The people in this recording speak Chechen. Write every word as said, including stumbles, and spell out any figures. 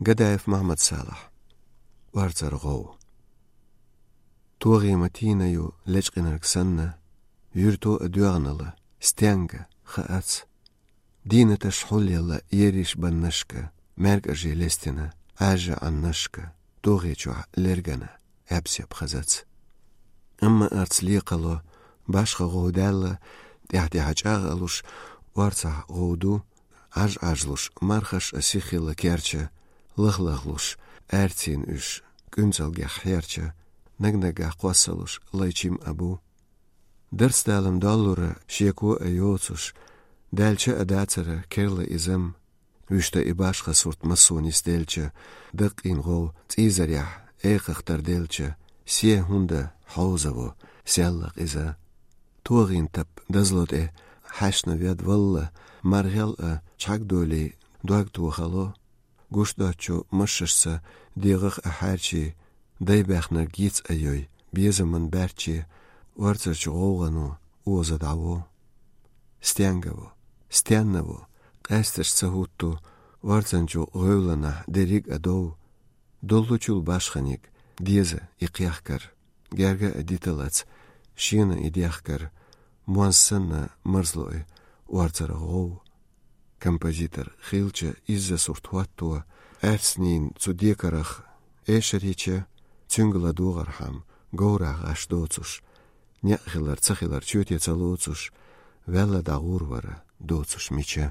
Гадаев Махьмад-Салахь. Орцара гӀов. ТогӀий ма тийна ю лечкъинарг санна, юьрто а доьгӀнала, стенга хаац. Дийнаташ хьулъелла ериш баннашка, маьркӀажий лестина, Ӏаьжа Ӏаннашка, тогӀий чохь лергана, Ӏебсеп хазац. Амма арц лекхало, башха гӀов даьлла, тӀаьхь-тӀаьхьа чӀагӀа алуш, орцахь гӀов ду, Ӏаж-Ӏажлуш, мархаш а сиххилла керча, лах-лахлуш, аьрцийна уьш, кӀуьнцалгех хьерча, наг-наггахь кхоссалуш, лайчим а бу. Дарцдалам доллура шеко а йоцуш, даьлча а дацара керла изам, вуьшта и башха сурт массо нисделча, даккхийна гӀов цӀийзарехь, экхах тарделча, се хӀунда хьовзаво, селлакъ иза. ТогӀийн тап дазло тӀе хьаьшна вед валла, маргӀел а чхьагдолий, дог тохало. Гуш доцчу машшашца дегӀах а хьаьрчий, дай баьхнарг йиц а йой, безаман баьрчче, орцарчу гӀовгӀано оза дӀаво. Стенгаво, стеннаво, къаьсташ ца хӀутту, орцанчу гӀевланахь дерриг а дов. Доллучул башханиг, деза и кхехкар, герга а диталац, шена и дехкар, монз санна марзло и орцара гӀов. Композитор хилча изза сурт хӀотто, аьрцнийн цу декарах эшар йича, цуьнга ладогӀархьама, говрахь гӀаш доцуш, некъ хилар, ца хилар чоьте ца лоцуш, ваьлла дӀагӀур вара доцуш мича.